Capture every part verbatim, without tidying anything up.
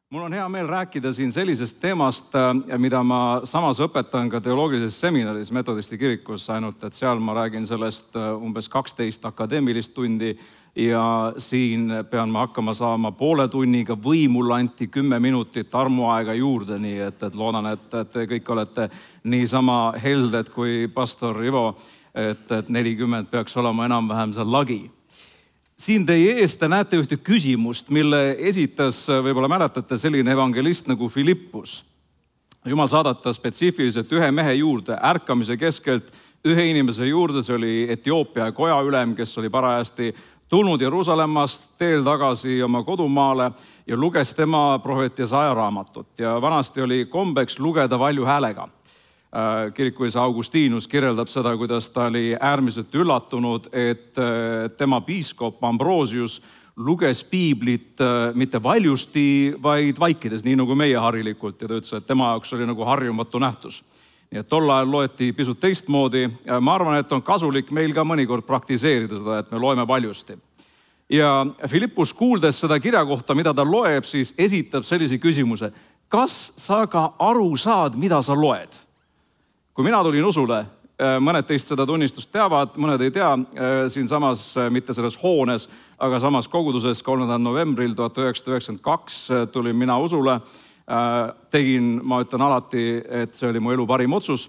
Mul on hea meel rääkida siin sellisest teemast, mida ma samas õpetan ka teoloogilises seminaris Metodisti kirikus, ainult et seal ma räägin sellest umbes kaksteist akadeemilist tundi ja siin pean ma hakkama saama poole tunniga või mulle anti kümme minutit armuaega juurde, nii et, et loodan, et te kõik olete niisama helded kui pastor Ivo, et, et nelikümmend peaks olema enam-vähem seal lagi. Siin teie ees te näete ühte küsimust, mille esitas, võib-olla mäletate, selline evangelist nagu Filippus. Jumal saadata spetsiifiliselt ühe mehe juurde, ärkamise keskelt ühe inimese juurde, see oli Etioopia kojaülem, kes oli parajasti tulnud Jeruusalemmast teel tagasi oma kodumaale ja luges tema prohvet Jesaja raamatut. Ja vanasti oli kombeks lugeda valju häälega. Kirikuisa Augustinus kirjeldab seda, kuidas ta oli äärmiselt üllatunud, et tema piiskop Ambrosius luges piiblit mitte valjusti, vaid vaikides, nii nagu meie harilikult. Ja ta ütles, et tema jaoks oli nagu harjumatu nähtus. Nii et tol ajal loeti pisut teistmoodi. Ma arvan, et on kasulik meil ka mõnikord praktiseerida seda, et me loeme valjusti. Ja Filippus kuuldes seda kirja kohta, mida ta loeb, siis esitab sellise küsimuse. Kas sa ka aru saad, mida sa loed? Kui mina tulin usule, mõned teist seda tunnistust teavad, mõned ei tea, siin samas, mitte selles hoones, aga samas koguduses kolmandal novembril tuhat üheksasada üheksakümmend kaks tulin mina usule. Tegin, ma ütlen alati, et see oli mu elu parim otsus.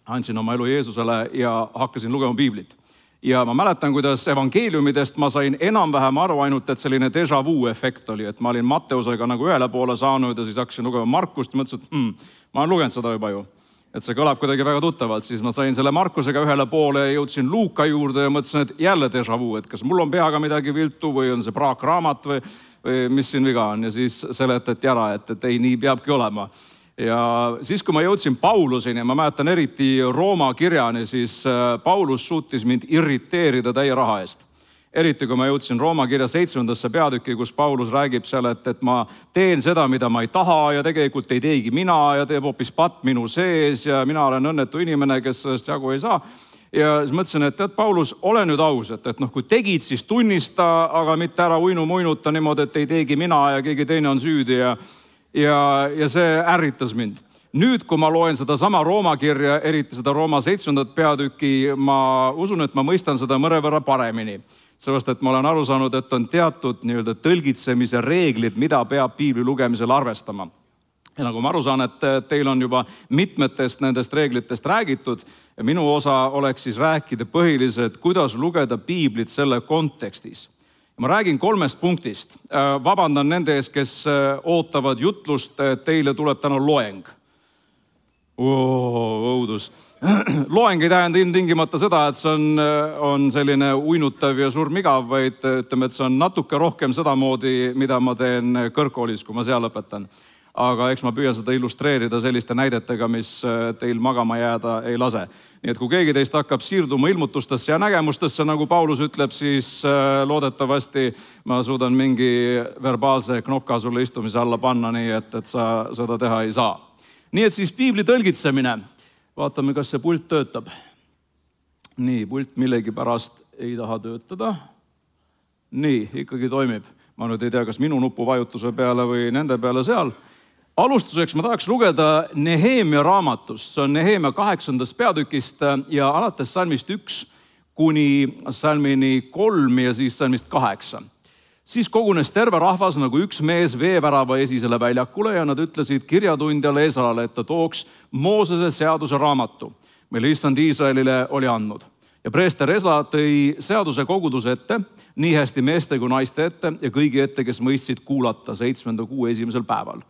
Andsin oma elu Jeesusele ja hakkasin lugema piiblit. Ja ma mäletan, kuidas evangeeliumidest ma sain enam-vähem aru ainult, et selline déjà vu efekt oli, et ma olin Matteusega nagu ühele poole saanud ja siis hakkasin lugema Markust ja mõtlesin, et hmm, ma olen lugenud seda juba ju. Et see kõlab kuidagi väga tuttavalt, siis ma sain selle Markusega ühele poole ja jõudsin Luuka juurde ja mõtlesin, et jälle déjà vu, et kas mul on peaga midagi viltu või on see praakraamat või, või mis siin viga on. Ja siis seletati ära, et, et ei, nii peabki olema. Ja siis, kui ma jõudsin Pauluseni, ma mäletan eriti Rooma kirjani, siis Paulus suutis mind irriteerida täie raha eest. Eriti, kui ma jõudsin Rooma kirja seitsmendasse peatükki, kus Paulus räägib seal, et, et ma teen seda, mida ma ei taha ja tegelikult ei teegi mina ja teeb hoopis patt minu sees ja mina olen õnnetu inimene, kes sellest jagu ei saa. Ja siis mõtlesin, et tead, Paulus, ole nüüd aus, et, et noh, kui tegid, siis tunnista, aga mitte ära uinu muinuta niimoodi, et ei teegi mina ja keegi teine on süüdi ja, ja, ja see ärritas mind. Nüüd, kui ma loen seda sama Rooma kirja, eriti seda Rooma seitsmendat peatükki, ma usun, et ma mõistan seda mõnevõrra paremini. Sellest, et ma olen aru saanud, et on teatud nii-öelda tõlgitsemise reeglid, mida peab piibli lugemisel arvestama. Ja nagu ma aru saan, et teil on juba mitmetest nendest reeglitest räägitud. Ja minu osa oleks siis rääkida põhiliselt, kuidas lugeda piiblit selle kontekstis. Ja ma räägin kolmest punktist. Vabandan nende ees, kes ootavad jutlust, teile tuleb täna loeng. Oo, õudus. Loeng ei tähenda ilmtingimata seda, et see on, on selline uinutav ja surmigav, vaid ütleme, et see on natuke rohkem sedamoodi, mida ma teen kõrgkoolis, kui ma seal õpetan. Aga eks ma püüan seda illustreerida selliste näidetega, mis teil magama jääda ei lase. Nii et kui keegi teist hakkab siirduma ilmutustesse ja nägemustesse, nagu Paulus ütleb, siis loodetavasti ma suudan mingi verbaalse knopka sulle istumise alla panna, nii et, et sa seda teha ei saa. Nii et siis piibli tõlgitsemine. Vaatame, kas see pult töötab. Nii, pult millegi pärast ei taha töötada. Nii, ikkagi toimib. Ma nüüd ei tea, kas minu nupuvajutuse peale või nende peale seal. Alustuseks ma tahaks lugeda Nehemia raamatust. See on Nehemia kaheksandast peatükist ja alates salmist üks kuni salmini kolm ja siis salmist kaheksa. Siis kogunes terve rahvas nagu üks mees veevärava esisele väljakule ja nad ütlesid kirjatundjale Esrale, et ta tooks Moosese seaduse raamatu, mille issand Iisraelile oli andnud. Ja preester Esra tõi seaduse koguduse ette, nii hästi meeste kui naiste ette ja kõigi ette, kes mõistsid kuulata seitsmenda kuu esimesel päeval.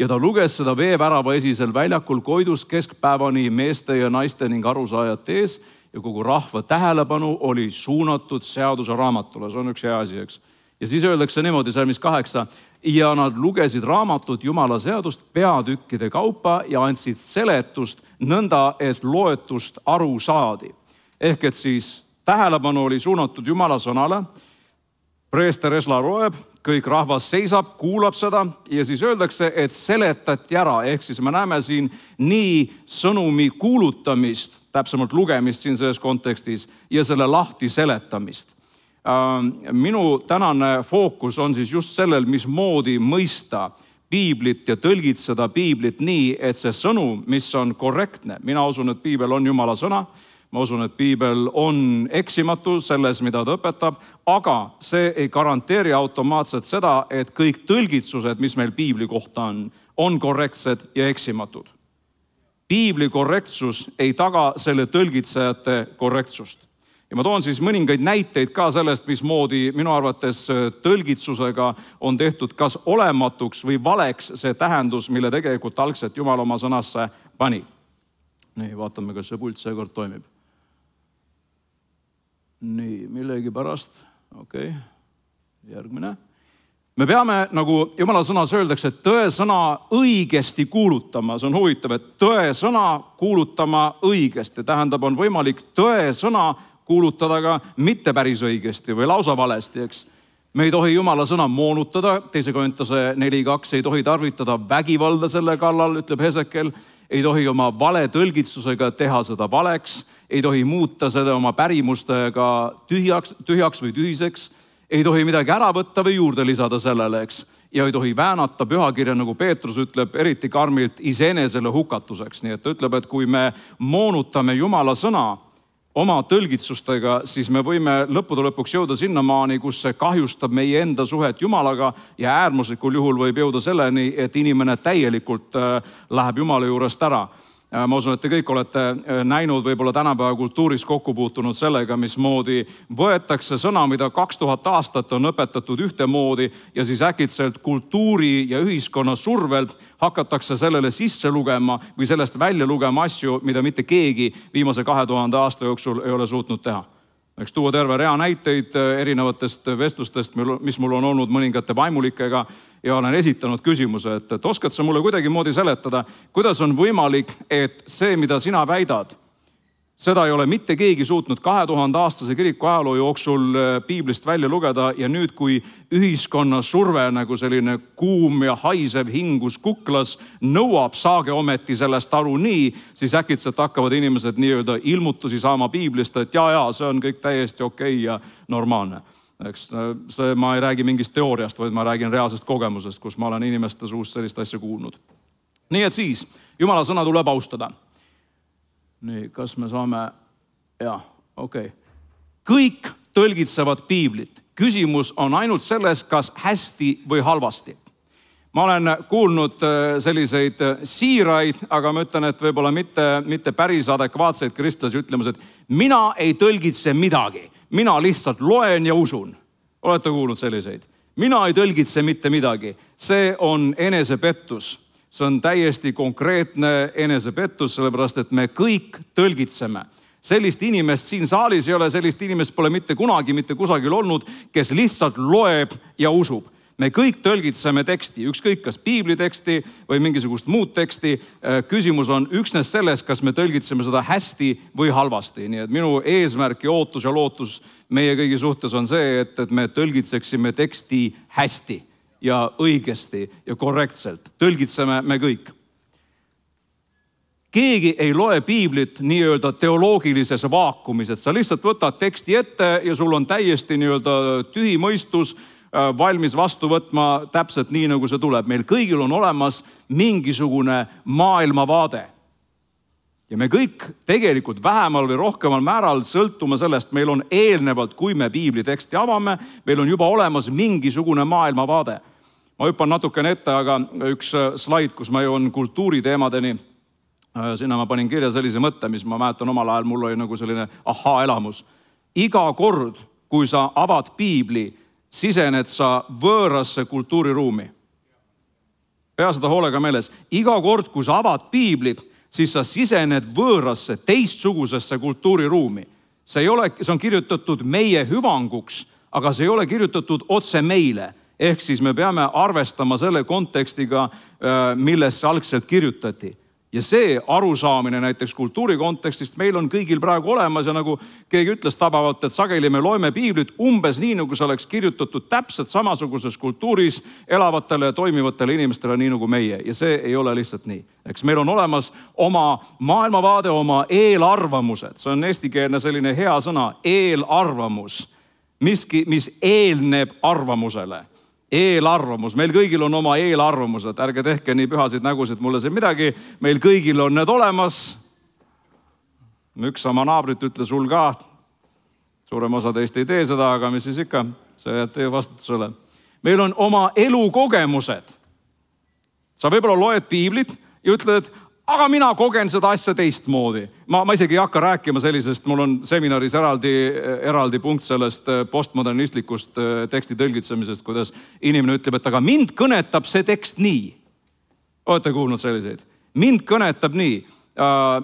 Ja ta luges seda veevärava esisel väljakul koidus keskpäevani meeste ja naiste ning arusaajate ees ja kogu rahva tähelepanu oli suunatud seaduse raamatule. See on üks hea asi, eks? Ja siis öeldakse niimoodi salmis kaheksa, ja nad lugesid raamatut Jumala seadust peatükkide kaupa ja andsid seletust nõnda, et loetust aru saadi. Ehk et siis tähelepanu oli suunatud Jumala sõnale, preester Esra loeb, kõik rahvas seisab, kuulab seda ja siis öeldakse, et seletati ära. Ehk siis me näeme siin nii sõnumi kuulutamist, täpsemalt lugemist siin selles kontekstis ja selle lahti seletamist. Minu tänane fookus on siis just sellel, mismoodi mõista piiblit ja tõlgitseda piiblit nii, et see sõnum, mis on korrektne, mina usun, et piibel on Jumala sõna, ma usun, et piibel on eksimatu selles, mida ta õpetab, aga see ei garanteeri automaatselt seda, et kõik tõlgitsused, mis meil piibli kohta on, on korrektsed ja eksimatud. Piibli korrektsus ei taga selle tõlgitsejate korrektsust. Ja ma toon siis mõningaid näiteid ka sellest, mismoodi minu arvates tõlgitsusega on tehtud kas olematuks või valeks see tähendus, mille tegelikult algselt Jumal oma sõnasse pani. Nii, vaatame, kas see pult seekord toimib. Nii, millegi pärast. Okei, järgmine. Me peame, nagu Jumala sõnas öeldakse, tõe sõna õigesti kuulutama. See on huvitav, et tõe sõna kuulutama õigesti. Tähendab, on võimalik tõe sõna kuulutada ka mitte päris õigesti või lausa valesti, eks. Me ei tohi Jumala sõna moonutada, teise Korintuse neli kaks, ei tohi tarvitada vägivalda selle kallal, ütleb Hesekel, ei tohi oma vale tõlgitsusega teha seda valeks, ei tohi muuta seda oma pärimustega tühjaks, tühjaks või tühiseks, ei tohi midagi ära võtta või juurde lisada sellele, eks. Ja ei tohi väänata pühakirja, nagu Peetrus ütleb, eriti karmilt iseenesele hukatuseks. Nii et ta ütleb, et kui me moonutame Jumala sõna oma tõlgitsustega, siis me võime lõppude lõpuks jõuda sinnamaani, kus see kahjustab meie enda suhet Jumalaga ja äärmuslikul juhul võib jõuda selleni, et inimene täielikult läheb Jumala juurest ära. Ma usun, et te kõik olete näinud võib-olla tänapäeva kultuuris kokku puutunud sellega, mismoodi võetakse sõna, mida kaks tuhat aastat on õpetatud ühtemoodi ja siis äkitselt kultuuri ja ühiskonna survelt hakatakse sellele sisse lugema või sellest välja lugema asju, mida mitte keegi viimase kahe tuhande aasta jooksul ei ole suutnud teha. Eks tuua terve rea näiteid erinevatest vestlustest, mis mul on olnud mõningate vaimulikega ja olen esitanud küsimuse, et, et oskad sa mulle kuidagi moodi seletada, kuidas on võimalik, et see, mida sina väidad, seda ei ole mitte keegi suutnud kahe tuhande aastase kiriku ajaloo jooksul piiblist välja lugeda ja nüüd, kui ühiskonna surve nagu selline kuum ja haisev hingus kuklas nõuab, saage ometi sellest aru nii, siis äkitselt hakkavad inimesed nii-öelda ilmutusi saama piiblist, et jaa, jaa, see on kõik täiesti okei ja normaalne. Eks see, ma ei räägi mingist teooriast, vaid ma räägin reaalsest kogemusest, kus ma olen inimeste suust sellist asja kuulnud. Nii et siis, Jumala sõna tuleb austada. Nii, kas me saame, jah, okei. Kõik tõlgitsevad piiblit. Küsimus on ainult selles, kas hästi või halvasti. Ma olen kuulnud selliseid siiraid, aga ma ütlen, et võib-olla mitte, mitte päris adekvaatseid kristlasi ütlemas, et mina ei tõlgitse midagi. Mina lihtsalt loen ja usun. Olete kuulnud selliseid? Mina ei tõlgitse mitte midagi. See on enesepettus. See on täiesti konkreetne enesepettus, sellepärast, et me kõik tõlgitseme. Sellist inimest siin saalis ei ole, sellist inimest pole mitte kunagi, mitte kusagil olnud, kes lihtsalt loeb ja usub. Me kõik tõlgitseme teksti, ükskõik kas piibliteksti või mingisugust muud teksti. Küsimus on üksnes selles, kas me tõlgitseme seda hästi või halvasti. Nii et minu eesmärk ja ootus ja lootus meie kõigi suhtes on see, et, et me tõlgitseksime teksti hästi ja õigesti ja korrektselt. Tõlgitseme me kõik. Keegi ei loe piiblit nii-öelda teoloogilises vaakumis, et sa lihtsalt võtad teksti ette ja sul on täiesti nii-öelda tühi mõistus, valmis vastu võtma täpselt nii, nagu see tuleb. Meil kõigil on olemas mingisugune maailmavaade. Ja me kõik tegelikult vähemal või rohkemal määral sõltume sellest, meil on eelnevalt, kui me piibli teksti avame, meil on juba olemas mingisugune maailmavaade. Ma hüppan natukene ette, aga üks slaid, kus ma jõuan kultuuriteemadeni, sinna ma panin kirja sellise mõtte, mis ma mäletan omal ajal, mul oli nagu selline ahaa-elamus. Iga kord, kui sa avad piibli, sisened sa võõrasse kultuuriruumi. Pea seda hoolega meeles. Iga kord, kui sa avad piiblit, siis sa sisened võõrasse, teistsugusesse kultuuriruumi. See ei ole, see on kirjutatud meie hüvanguks, aga see ei ole kirjutatud otse meile. Ehk siis me peame arvestama selle kontekstiga, milles see algselt kirjutati. Ja see arusaamine näiteks kultuuri kontekstist meil on kõigil praegu olemas ja nagu keegi ütles tabavalt, et sageli me loeme piiblit umbes nii, nagu see oleks kirjutatud täpselt samasuguses kultuuris elavatele ja toimivatele inimestele, nii nagu meie. Ja see ei ole lihtsalt nii. Eks meil on olemas oma maailmavaade, oma eelarvamused. See on eestikeelne selline hea sõna, eelarvamus, miski, mis eelneb arvamusele. Eelarvamus, meil kõigil on oma eelarvamused, ärge tehke nii pühasid nägusid, mulle see midagi, meil kõigil on need olemas. Üks oma naabrit ütles sul ka, suurem osa teist ei tee seda, aga mis siis ikka, see jääb teie vastutusele. Meil on oma elukogemused. Sa võib-olla loed piiblit ja ütled, aga mina kogen seda asja teistmoodi. Ma, ma isegi ei hakka rääkima sellisest, mul on seminaris eraldi, eraldi punkt sellest postmodernistlikust teksti tõlgitsemisest, kuidas inimene ütleb, et aga mind kõnetab see tekst nii. Olete kuulnud selliseid? Mind kõnetab nii.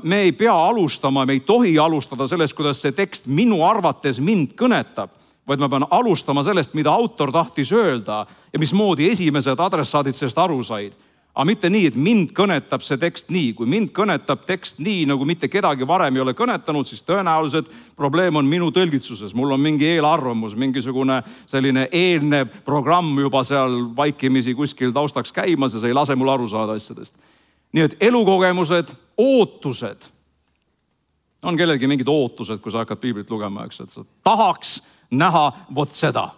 Me ei pea alustama, me ei tohi alustada sellest, kuidas see tekst minu arvates mind kõnetab, vaid ma pean alustama sellest, mida autor tahtis öelda ja mismoodi esimesed adressaadid sellest aru said. Aga mitte nii, et mind kõnetab see tekst nii. Kui mind kõnetab tekst nii, nagu mitte kedagi varem ei ole kõnetanud, siis tõenäoliselt probleem on minu tõlgitsuses. Mul on mingi eelarvamus, mingisugune selline eelnev programm juba seal vaikimisi kuskil taustaks käimas ja see ei lase mul aru saada asjadest. Nii et elukogemused, ootused. On kellelgi mingid ootused, kui sa hakkad piiblit lugema, eks, et sa tahaks näha vot seda.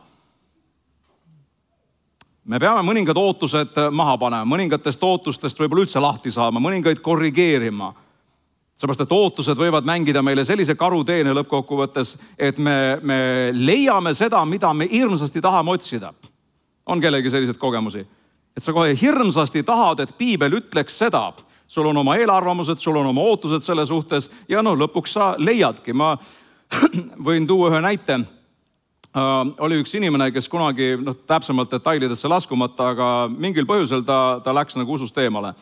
Me peame mõningad ootused maha panema, mõningatest ootustest võib-olla üldse lahti saama, mõningaid korrigeerima. Seepärast, et ootused võivad mängida meile sellise karuteene lõppkokkuvõttes, et me, me leiame seda, mida me hirmsasti tahame otsida. On kellegi sellised kogemusi? Et sa kohe hirmsasti tahad, et piibel ütleks seda. Sul on oma eelarvamused, sul on oma ootused selle suhtes ja no lõpuks sa leiadki. Ma võin tuua ühe näite. Uh, oli üks inimene, kes kunagi no, täpsemalt detailidesse laskumata, aga mingil põhjusel ta, ta läks nagu usust eemale.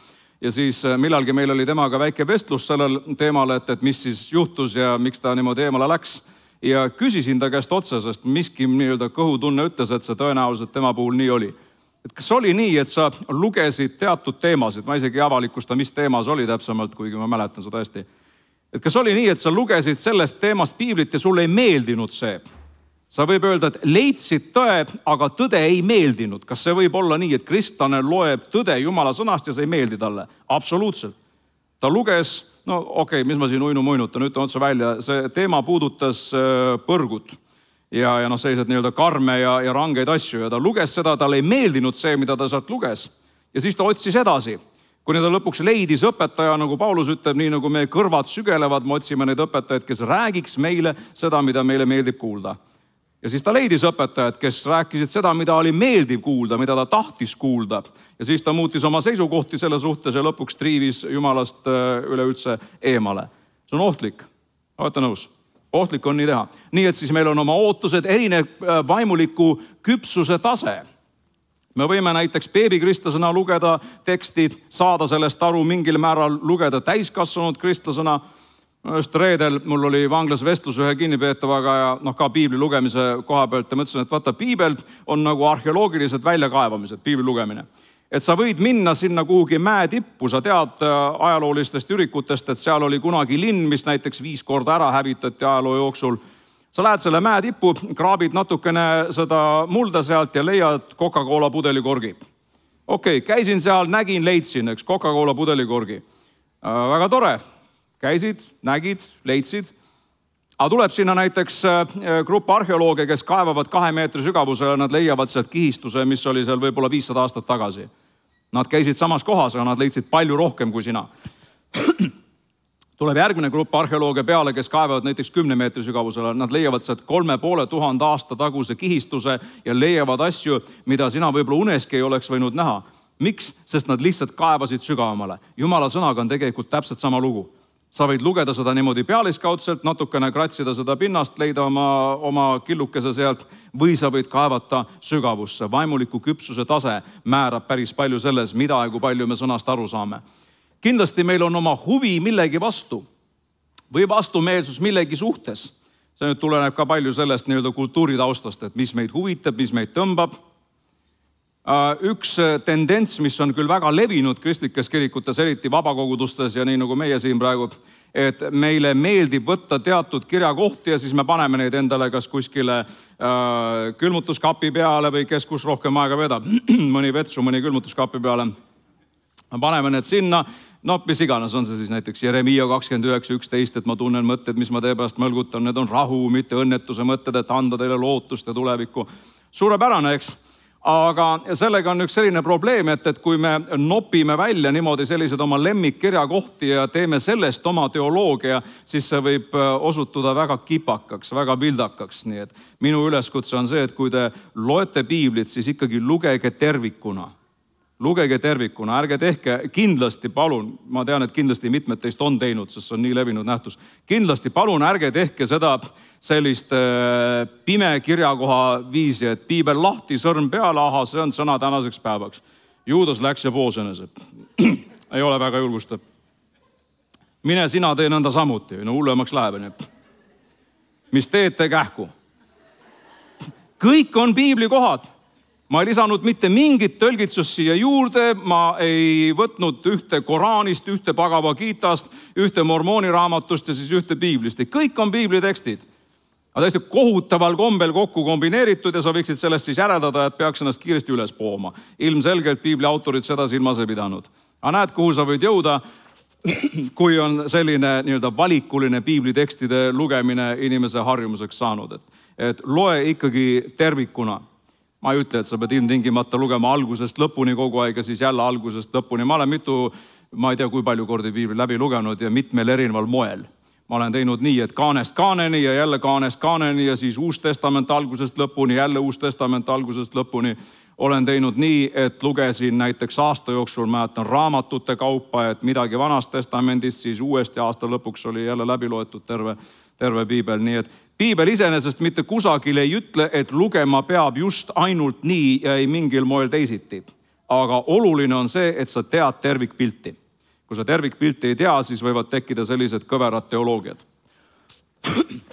Ja siis millalgi meil oli temaga väike vestlus sellel teemal, et, et mis siis juhtus ja miks ta niimoodi eemale läks. Ja küsisin ta käest otsa, sest miski nii-öelda kõhutunne ütles, et see tõenäoliselt tema puhul nii oli. Et kas oli nii, et sa lugesid teatud teemasid, ma isegi avalikusta, mis teemas oli täpsemalt, kuigi ma mäletan seda hästi. Et kas oli nii, et sa lugesid sellest teemast piiblit ja sulle ei meeldinud see? Sa võib öelda, et leidsid tõe, aga tõde ei meeldinud. Kas see võib olla nii, et kristlane loeb tõde Jumala sõnast ja see ei meeldi talle? Absoluutselt. Ta luges, no okei, okay, mis ma siin uinu muinutan, ütlen otsa välja, see teema puudutas põrgut ja, ja noh, sellised nii-öelda karme ja, ja rangeid asju ja ta luges seda, talle ei meeldinud see, mida ta sealt luges. Ja siis ta otsis edasi. Kuni ta lõpuks leidis õpetaja, nagu Paulus ütleb, nii nagu meie kõrvad sügelevad, me otsime neid õpetajaid, kes räägiks meile seda, mida meile meeldib kuulda. Ja siis ta leidis õpetajad, kes rääkisid seda, mida oli meeldiv kuulda, mida ta tahtis kuulda. Ja siis ta muutis oma seisukohti selle suhtes ja lõpuks triivis Jumalast üleüldse eemale. See on ohtlik. Olete nõus? Ohtlik on nii teha. Nii et siis meil on oma ootused, erinev vaimuliku küpsuse tase. Me võime näiteks beebikristlasena lugeda tekstid, saada sellest aru mingil määral, lugeda täiskasvanud kristlasena. Just reedel mul oli vanglas vestlus ühe kinnipeetavaga ja noh, ka piibli lugemise koha pealt ja mõtlesin, et vaata, piibel on nagu arheoloogilised väljakaevamised, piibli lugemine. Et sa võid minna sinna kuhugi mäe tippu, sa tead ajaloolistest ürikutest, et seal oli kunagi linn, mis näiteks viis korda ära hävitati ajaloo jooksul. Sa lähed selle mäe tippu, kraabid natukene seda mulda sealt ja leiad Coca-Cola pudelikorgi. Okei, käisin seal, nägin, leidsin, eks, Coca-Cola pudelikorgi. Väga tore. Käisid, nägid, leidsid. Aga tuleb sinna näiteks grupp arheolooge, kes kaevavad kahe meetri sügavusele, nad leiavad sealt kihistuse, mis oli seal võib-olla viissada aastat tagasi. Nad käisid samas kohas, aga nad leidsid palju rohkem kui sina. Tuleb järgmine grupp arheolooge peale, kes kaevavad näiteks kümne meetri sügavusele. Nad leiavad sealt kolme poole tuhande aasta taguse kihistuse ja leiavad asju, mida sina võib-olla uneski ei oleks võinud näha. Miks? Sest nad lihtsalt kaevasid sügavamale. Jumala sõnaga on tegelikult täpselt sama lugu. Sa võid lugeda seda niimoodi pealiskaudselt, natukene kratsida seda pinnast, leida oma, oma killukese sealt või sa võid kaevata sügavusse. Vaimuliku küpsuse tase määrab päris palju selles, mida ja kui palju me sõnast aru saame. Kindlasti meil on oma huvi millegi vastu või vastumeelsus millegi suhtes. See nüüd tuleneb ka palju sellest nii-öelda kultuuritaustast, et mis meid huvitab, mis meid tõmbab. Üks tendents, mis on küll väga levinud kristlikes kirikutes, eriti vabakogudustes ja nii nagu meie siin praegu, et meile meeldib võtta teatud kirjakohti ja siis me paneme neid endale kas kuskile äh, külmutuskapi peale või kes kus rohkem aega vedab, mõni vetsu, mõni külmutuskapi peale. Paneme need sinna, no mis iganes on see siis näiteks Jeremiia kakskümmend üheksa üksteist, et ma tunnen mõtted, mis ma tee pärast mõlgutan, need on rahu, mitte õnnetuse mõtted, et anda teile lootust ja tulevikku. Suurepärane, eks? aga sellega on üks selline probleem, et, et kui me nopime välja niimoodi sellised oma lemmikkirjakohti ja teeme sellest oma teoloogia, siis see võib osutuda väga kipakaks, väga vildakaks. Nii et minu üleskutse on see, et kui te loete piiblit, siis ikkagi lugege tervikuna. Lugege tervikuna, ärge tehke, kindlasti palun, ma tean, et kindlasti mitmed teist on teinud, sest see on nii levinud nähtus. Kindlasti palun ärge tehke seda sellist pime kirjakoha viisi, et piibel lahti, sõrm peale, aha, see on sõna tänaseks päevaks. Juudas läks ja poos enese. Ei ole väga julgustav. Mine sina tee nõnda samuti, no hullemaks läheb. Mis teete kähku? Kõik on piibli kohad. Ma ei lisanud mitte mingit tõlgitsust siia juurde, ma ei võtnud ühte Koraanist, ühte Bhagavad Gitast, ühte mormooni raamatust ja siis ühte piiblist. Kõik on piibli tekstid. Aga täiesti kohutaval kombel kokku kombineeritud ja sa võiksid sellest siis järeldada, et peaks ennast kiiresti üles pooma. Ilmselgelt piibli autorid seda silmas ei pidanud. Aga näed, kuhu sa võid jõuda, kui on selline nii-öelda valikuline piibli tekstide lugemine inimese harjumuseks saanud. Et, et loe ikkagi tervikuna. Ma ei ütle, et sa pead ilmtingimata lugema algusest lõpuni kogu aeg ja siis jälle algusest lõpuni. Ma olen mitu, ma ei tea, kui palju kordi piibli läbi lugenud ja mitmel erineval moel. Ma olen teinud nii, et kaanest kaaneni ja jälle kaanest kaaneni ja siis Uus Testament algusest lõpuni, jälle Uus Testament algusest lõpuni. Olen teinud nii, et lugesin näiteks aasta jooksul, mäletan raamatute kaupa, et midagi Vanast Testamendist, siis uuesti aasta lõpuks oli jälle läbi loetud terve, terve piibel. Nii et piibel iseenesest mitte kusagil ei ütle, et lugema peab just ainult nii ja ei mingil moel teisiti. Aga oluline on see, et sa tead tervikpilti. Kui sa tervikpilti ei tea, siis võivad tekkida sellised kõverad teoloogiad.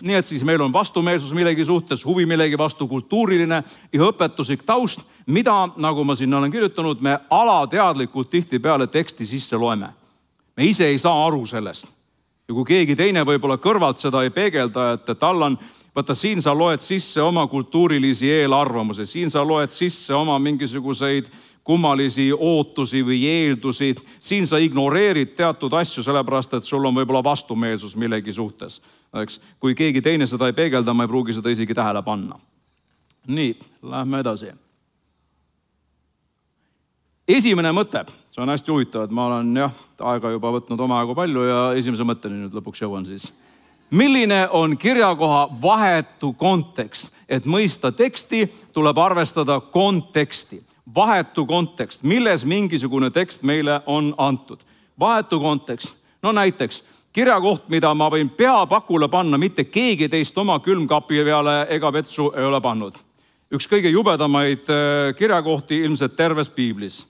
Nii et siis meil on vastumeelsus millegi suhtes, huvi millegi vastu, kultuuriline ja õpetuslik taust, mida, nagu ma siin olen kirjutanud, me alateadlikult tihtipeale teksti sisse loeme. Me ise ei saa aru sellest. Ja kui keegi teine võib-olla kõrvalt seda ei peegelda, et tal on, võtta siin sa loed sisse oma kultuurilisi eelarvamusi, siin sa loed sisse oma mingisuguseid kummalisi ootusi või eeldusi, siin sa ignoreerid teatud asju, sellepärast, et sul on võib-olla vastumeelsus millegi suhtes. Eks? Kui keegi teine seda ei peegelda, ma ei pruugi seda isegi tähele panna. Nii, lähme edasi. Esimene mõte, see on hästi huvitav, et ma olen jah, aega juba võtnud oma aegu palju ja esimese mõtteni nüüd lõpuks jõuan siis. Milline on kirjakoha vahetu kontekst? Et mõista teksti, tuleb arvestada konteksti. Vahetu kontekst, milles mingisugune tekst meile on antud. Vahetu kontekst, no näiteks kirjakoht, mida ma võin peapakule panna, mitte keegi teist oma külmkapi peale ega vetsu ei ole pannud. Üks kõige jubedamaid kirjakohti ilmselt terves piiblis.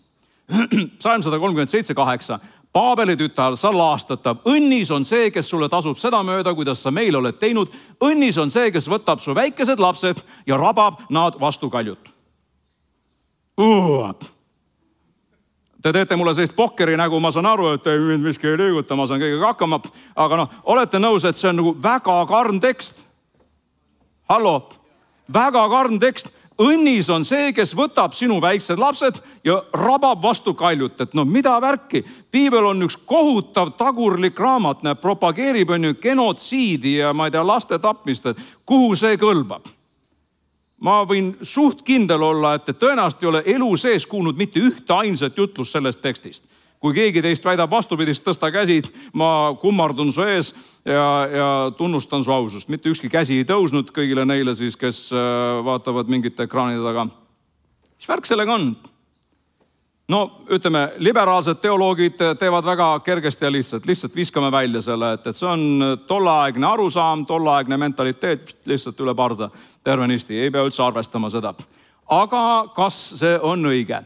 Salm sada kolmkümmend seitse kaheksa. Paabeli tütar, sa laastatav. Õnnis on see, kes sulle tasub seda mööda, kuidas sa meil oled teinud. Õnnis on see, kes võtab su väikesed lapsed ja rabab nad vastu kaljut. Uh. Te teete mulle sellist pokkeri nägu, ma saan aru, et mind miski ei liiguta, ma saan kõigega hakkama. Aga noh, olete nõus, et see on nagu väga karm tekst. Hallo, väga karm tekst. Õnnis on see, kes võtab sinu väiksed lapsed ja rabab vastu kaljut. Et no mida värki? Piibel on üks kohutav tagurlik raamat, näeb, propageerib on ju genotsiidi ja ma ei tea, laste tapmist, et kuhu see kõlbab. Ma võin suht kindel olla, et tõenäoliselt ei ole elu sees kuulnud mitte ühte ainsat jutlust sellest tekstist. Kui keegi teist väidab vastupidist, tõsta käsid, ma kummardun su ees ja, ja tunnustan su ausust. Mitte ükski käsi ei tõusnud kõigile neile siis, kes vaatavad mingite ekraanide taga. Mis värk sellega on? No ütleme, liberaalsed teoloogid teevad väga kergesti ja lihtsalt. Lihtsalt viskame välja selle, et, et see on tolleaegne arusaam, tolleaegne mentaliteet, lihtsalt üle parda tervenisti. Ei pea üldse arvestama seda. Aga kas see on õige?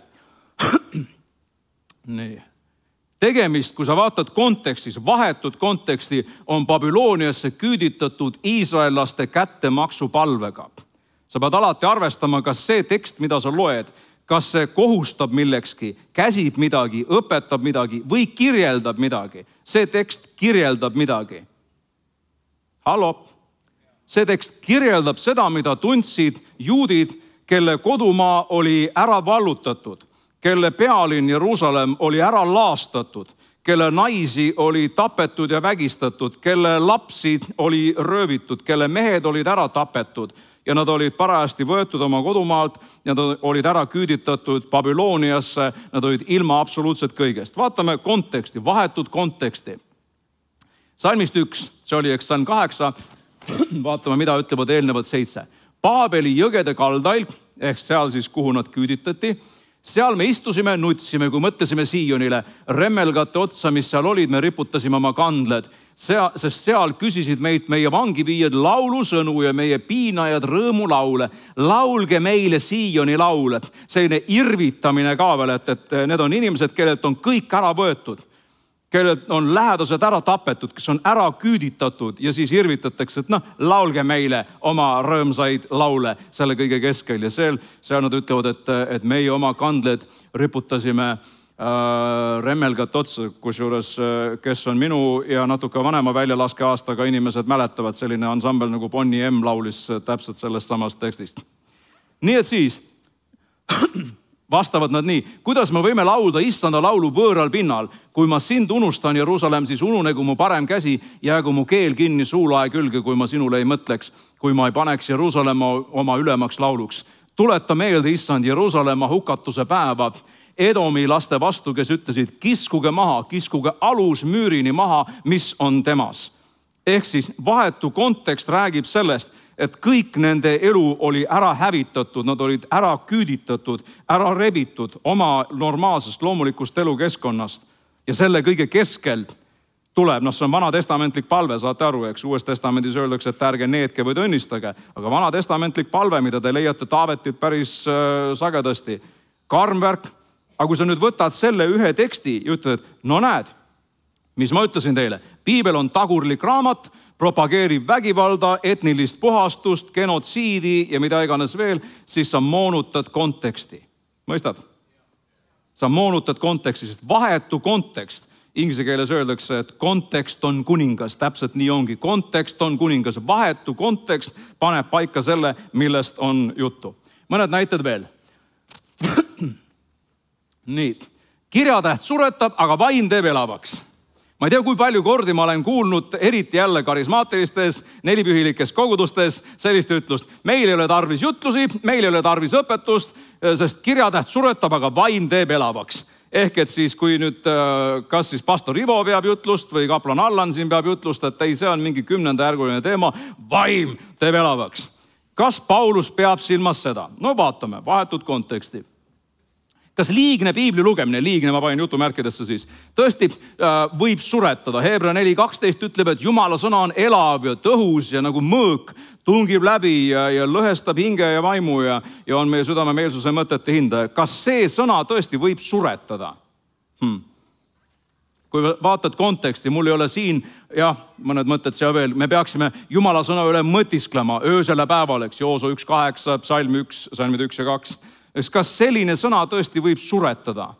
Nii. Tegemist, kui sa vaatad kontekstis, vahetud konteksti, on Babyloniasse küüditatud iisraellaste kättemaksu palvega. Sa pead alati arvestama, kas see tekst, mida sa loed, kas see kohustab millekski, käsib midagi, õpetab midagi või kirjeldab midagi. See tekst kirjeldab midagi. Hallo? See tekst kirjeldab seda, mida tundsid juudid, kelle kodumaa oli ära vallutatud, kelle pealinn Jeruusalemm oli ära laastatud, kelle naisi oli tapetud ja vägistatud, kelle lapsi oli röövitud, kelle mehed olid ära tapetud ja nad olid parajasti võetud oma kodumaalt, nad olid ära küüditatud Babyloniasse, nad olid ilma absoluutselt kõigest. Vaatame konteksti, vahetut konteksti. Salmist üks, see oli eks salm kaheksa, vaatame, mida ütlevad eelnevad seitse. Paabeli jõgede kaldail, ehk seal siis, kuhu nad küüditati, seal me istusime, nutsime, kui mõtlesime Siionile, remmelgate otsa, mis seal olid, me riputasime oma kandled, Sea, sest seal küsisid meid meie vangiviijad laulusõnu ja meie piinajad rõõmulaule. Laulge meile Sioni laule. Selline irvitamine ka veel, et, et need on inimesed, kellelt on kõik ära võetud, kellelt on lähedased ära tapetud, kes on ära küüditatud ja siis irvitatakse, et noh, laulge meile oma rõõmsaid laule selle kõige keskel. Ja seal, seal nad ütlevad, et, et meie oma kandled riputasime äh, remmelgat otsa, kusjuures kes on minu ja natuke vanema väljalaskeaastaga inimesed mäletavad, selline ansambel nagu Bonnie M laulis täpselt sellest samast tekstist. Nii et siis vastavad nad nii, kuidas me võime laulda issanda laulu võõral pinnal, kui ma sind unustan, Jeruusalemm, siis ununegu mu parem käsi, jäägu mu keel kinni suulae külge, kui ma sinule ei mõtleks, kui ma ei paneks Jeruusalemma oma ülemaks lauluks. Tuleta meelde, issand, Jeruusalemma hukatuse päeva, Edomi laste vastu, kes ütlesid, kiskuge maha, kiskuge alus müürini maha, mis on temas. Ehk siis vahetu kontekst räägib sellest, et kõik nende elu oli ära hävitatud, nad olid ära küüditatud, ära rebitud oma normaalsest loomulikust elukeskkonnast. Ja selle kõige keskel tuleb, noh see on vanatestamentlik palve, saate aru, eks uues testamendis öeldakse, et ärge needke või õnnistage, aga vanatestamentlik palve, mida te leiate Taavetit päris äh, sagedasti, karmvärk, aga kui sa nüüd võtad selle ühe teksti ja ütled, no näed, mis ma ütlesin teile, piibel on tagurlik raamat, propageerib vägivalda, etnilist puhastust, genotsiidi ja mida iganes veel, siis sa moonutad konteksti. Mõistad? Sa moonutad konteksti, sest vahetu kontekst, inglise keeles öeldakse, et kontekst on kuningas, täpselt nii ongi. Kontekst on kuningas, vahetu kontekst paneb paika selle, millest on juttu. Mõned näited veel. Nii, kirjatäht suretab, aga vaim teeb elavaks. Ma ei tea, kui palju kordi ma olen kuulnud, eriti jälle karismaatilistes, nelipühilikes kogudustes sellist ütlust. Meil ei ole tarvis jutlusi, meil ei ole tarvis õpetust, sest kirjatäht suretab, aga vaim teeb elavaks. Ehk et siis, kui nüüd kas siis pastor Ivo peab jutlust või kaplan Allan siin peab jutlust, et ei, see on mingi kümnenda järguline teema, vaim teeb elavaks. Kas Paulus peab silmas seda? No vaatame, vahetud konteksti. Kas liigne piibli lugemine, liigne ma panin jutumärkidesse siis, tõesti äh, võib suretada. Hebra neli kaksteist ütleb, et Jumala sõna on elav ja tõhus ja nagu mõõk tungib läbi ja, ja lõhestab hinge ja vaimu ja, ja on meie südame meelsuse mõtete hindaja. Kas see sõna tõesti võib suretada? Hmm. Kui vaatad konteksti, mul ei ole siin, jah, mõned mõtted seal veel, me peaksime Jumala sõna üle mõtisklema öösel ja päeval, eks, Jooso üks kaheksa, psalm üks, psalmid üks ja kaks. Kas selline sõna tõesti võib suretada?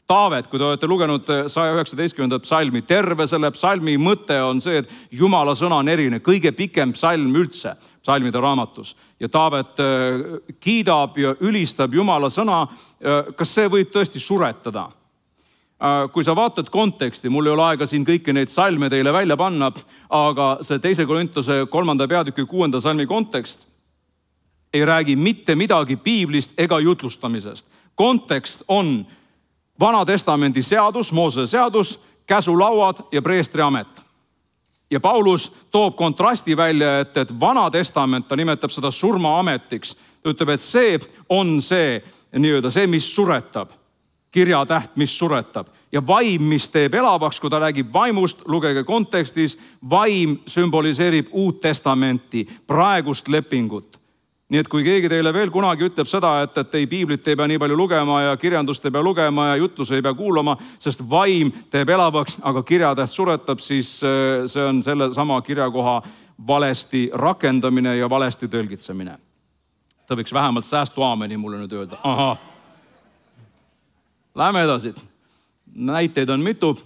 Taavet, kui te olete lugenud saja üheksateistkümnendat psalmi, terve selle psalmi mõte on see, et Jumala sõna on eriline, kõige pikem psalm üldse psalmide raamatus. Ja Taavet kiidab ja ülistab Jumala sõna. Kas see võib tõesti suretada? Kui sa vaatad konteksti, mul ei ole aega siin kõiki neid psalme teile välja panna, aga see teise Korintuse kolmanda peatüki kuuenda psalmi kontekst ei räägi mitte midagi piiblist ega jutlustamisest. Kontekst on Vana testamendi seadus, Moosese seadus, käsulauad ja preestri amet. Ja Paulus toob kontrasti välja, et, et Vana testament, ta nimetab seda surmaametiks. Ta ütleb, et see on see, nii-öelda see, mis suretab. Kirjatäht, mis suretab. Ja vaim, mis teeb elavaks, kui ta räägib vaimust, lugege kontekstis, vaim sümboliseerib uut testamenti, praegust lepingut. Nii et kui keegi teile veel kunagi ütleb seda, et, et ei piiblit ei pea nii palju lugema ja kirjandust ei pea lugema ja jutlus ei pea kuulama, sest vaim teeb elavaks, aga kirjatäht suretab, siis see on selle sama kirjakoha valesti rakendamine ja valesti tõlgitsemine. Ta võiks vähemalt säästu aameni mulle nüüd öelda. Aha. Läheme edasi. Näiteid on mitu.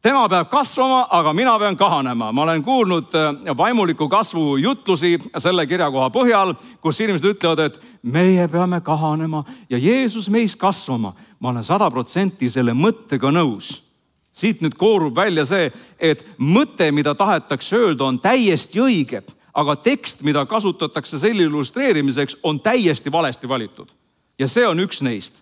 Tema peab kasvama, aga mina pean kahanema. Ma olen kuulnud vaimuliku kasvu jutlusi selle kirjakoha põhjal, kus inimesed ütlevad, et meie peame kahanema ja Jeesus meis kasvama. Ma olen sada protsenti selle mõttega nõus. Siit nüüd koorub välja see, et mõte, mida tahetakse öelda, on täiesti õige, aga tekst, mida kasutatakse selle illustreerimiseks, on täiesti valesti valitud. Ja see on üks neist.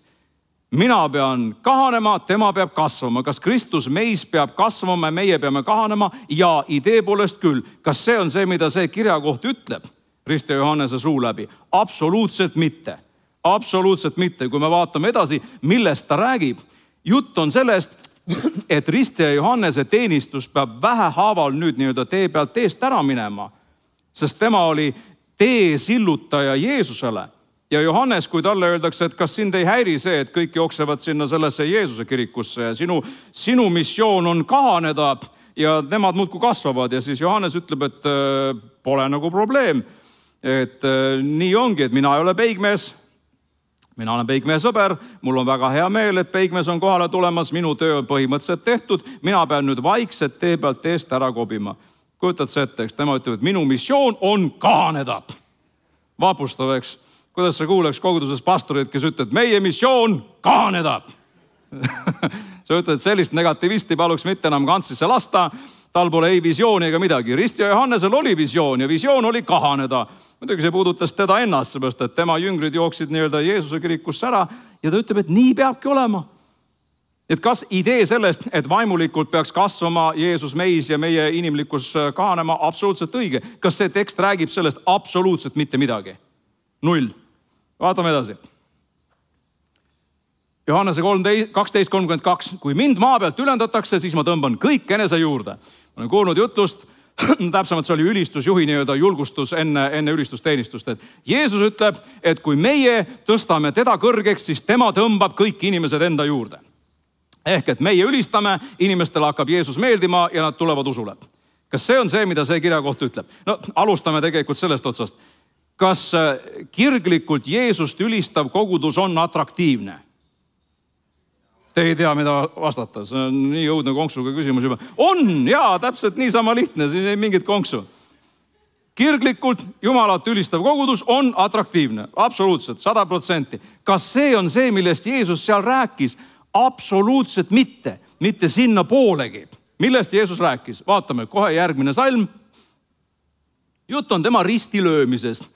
Mina pean kahanema, tema peab kasvama. Kas Kristus meis peab kasvama, meie peame kahanema? Ja idee poolest küll. Kas see on see, mida see kirjakoht ütleb Risti ja Johannese suu läbi? Absoluutselt mitte. Absoluutselt mitte. Kui me vaatame edasi, millest ta räägib, jutt on sellest, et Risti ja Johannese teenistus peab vähehaaval nüüd nii-öelda tee pealt teest ära minema, sest tema oli tee sillutaja Jeesusele. Ja Johannes, kui talle öeldakse, et kas sind ei häiri see, et kõik jooksevad sinna sellesse Jeesuse kirikusse ja sinu, sinu missioon on kahaneda ja nemad muudkui kasvavad. Ja siis Johannes ütleb, et äh, pole nagu probleem. Et äh, nii ongi, et mina ei ole peigmees. Mina olen peigmehe sõber, mul on väga hea meel, et peigmees on kohale tulemas, minu töö on põhimõtteliselt tehtud, mina pean nüüd vaikselt tee pealt teest ära kobima. Kujutad see ette, eks tema ütleb, et minu missioon on kahaneda. Vapustav, eks? Kuidas sa kuuleks koguduses pastorid, kes ütleb, meie missioon kahaneda. Sa ütled, et sellist negativisti paluks mitte enam kantsisse lasta, tal pole ei visiooni ega midagi. Risti ja Johannesel oli visioon ja visioon oli kahaneda. Muidugi see puudutas teda ennast, seepärast, et tema jüngrid jooksid nii-öelda Jeesuse kirikusse ära ja ta ütleb, et nii peabki olema. Et kas idee sellest, et vaimulikult peaks kasvama Jeesus meis ja meie inimlikkus kahanema, absoluutselt õige. Kas see tekst räägib sellest absoluutselt mitte midagi? Null. Vaatame edasi. Johannese kaksteist kolmkümmend kaks. Kui mind maa pealt ülendatakse, siis ma tõmban kõik enese juurde. Ma olen kuulnud jutlust, täpsemalt see oli ülistusjuhi nii-öelda julgustus enne, enne ülistusteenistust. Et Jeesus ütleb, et kui meie tõstame teda kõrgeks, siis tema tõmbab kõik inimesed enda juurde. Ehk et meie ülistame, inimestele hakkab Jeesus meeldima ja nad tulevad usule. Kas see on see, mida see kirjakoht ütleb? No alustame tegelikult sellest otsast. Kas kirglikult Jeesust ülistav kogudus on atraktiivne? Te ei tea, mida vastata. See on nii õudne konksuga küsimus juba. On, jaa, täpselt niisama lihtne, siin ei mingit konksu. Kirglikult Jumalat ülistav kogudus on atraktiivne. Absoluutselt, sada protsenti. Kas see on see, millest Jeesus seal rääkis? Absoluutselt mitte. Mitte sinna poolegi. Millest Jeesus rääkis? Vaatame, kohe järgmine salm. Jutt on tema ristilöömisest.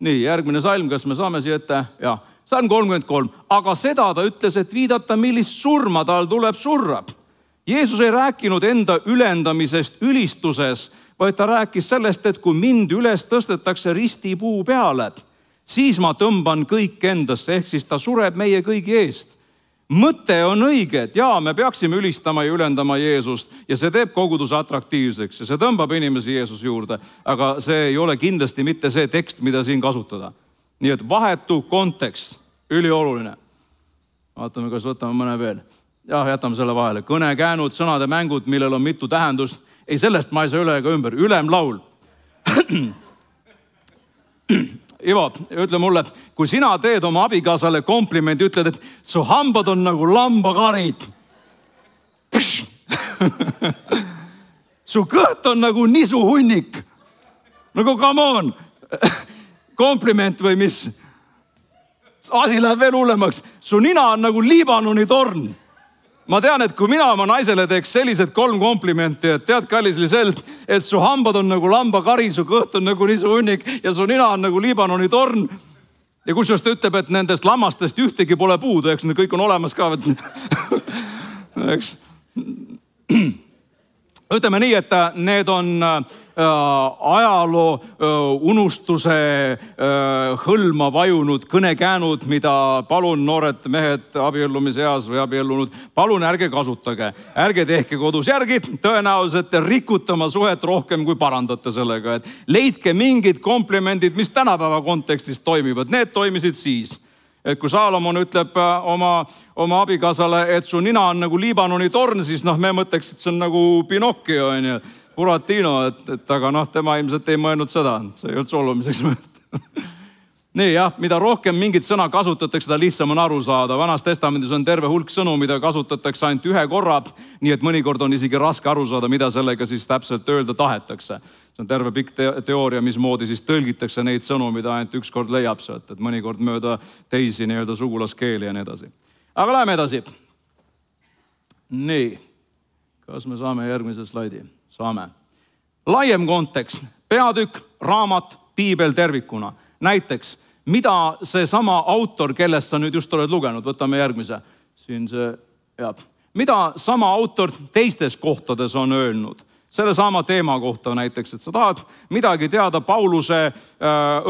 Nii, järgmine salm, kas me saame siia ette? Jah, salm kolmkümmend kolm. Aga seda ta ütles, et viidata, millist surma tal tuleb surra. Jeesus ei rääkinud enda ülendamisest ülistuses, vaid ta rääkis sellest, et kui mind üles tõstetakse ristipuu peale, siis ma tõmban kõik endasse, ehk siis ta sureb meie kõigi eest. Mõte on õige, et jaa, me peaksime ülistama ja ülendama Jeesust ja see teeb koguduse atraktiivseks ja see tõmbab inimesi Jeesus juurde, aga see ei ole kindlasti mitte see tekst, mida siin kasutada. Nii et vahetu kontekst, ülioluline. Vaatame, kas võtame mõne veel. Jah, jätame selle vahele. Kõne, käänud, sõnade mängud, millel on mitu tähendust. Ei, sellest ma ei saa üle ega ümber. Ülemlaul. Ivo, ütle mulle, kui sina teed oma abikaasale komplimendi, ütled, et su hambad on nagu lambakarid. Su kõht on nagu nisuhunnik. Nagu come on. Kompliment või mis? Asi läheb veel hullemaks. Su nina on nagu Liibanoni torn. Ma tean, et kui mina oma naisele teeks sellised kolm komplimenti, et tead, kallis Liselt, et su hambad on nagu lambakari, su kõht on nagu nisuhunnik ja su nina on nagu Liibanoni torn. Ja kusjuures ta ütleb, et nendest lammastest ühtegi pole puudu, eks need kõik on olemas ka. Eks. Ütleme nii, et need on ajaloo unustuse hõlma vajunud kõnekäänud, mida palun noored mehed abiellumise eas või abiellunud, palun ärge kasutage, ärge tehke kodus järgi, tõenäoliselt rikute oma suhet rohkem kui parandate sellega, et leidke mingid komplimendid, mis tänapäeva kontekstis toimivad, need toimisid siis. Et kui Saalomon ütleb oma, oma abikaasale, et su nina on nagu Liibanoni torn, siis noh, me mõtleks, et see on nagu Pinocchio, on ju, Buratino, et, et aga noh, tema ilmselt ei mõelnud seda, see ei olnud solvamiseks mõelnud. Nii jah, mida rohkem mingit sõna kasutatakse, seda lihtsam on aru saada. Vanas testamendis on terve hulk sõnu, mida kasutatakse ainult ühe korra, nii et mõnikord on isegi raske aru saada, mida sellega siis täpselt öelda tahetakse. See on terve pikk te teooria, mismoodi siis tõlgitakse neid sõnu, mida ainult üks kord leiab sealt, et mõnikord mööda teisi nii-öelda sugulaskeeli ja nii edasi. Aga läheme edasi. Nii, kas me saame järgmise slaidi? Saame. Laiem kontekst. peatükk, raamat, piibel tervikuna. Näiteks, mida see sama autor, kellest sa nüüd just oled lugenud, võtame järgmise, siin see, jah. Mida sama autor teistes kohtades on öelnud? Selle sama teema kohta näiteks, et sa tahad midagi teada Pauluse äh,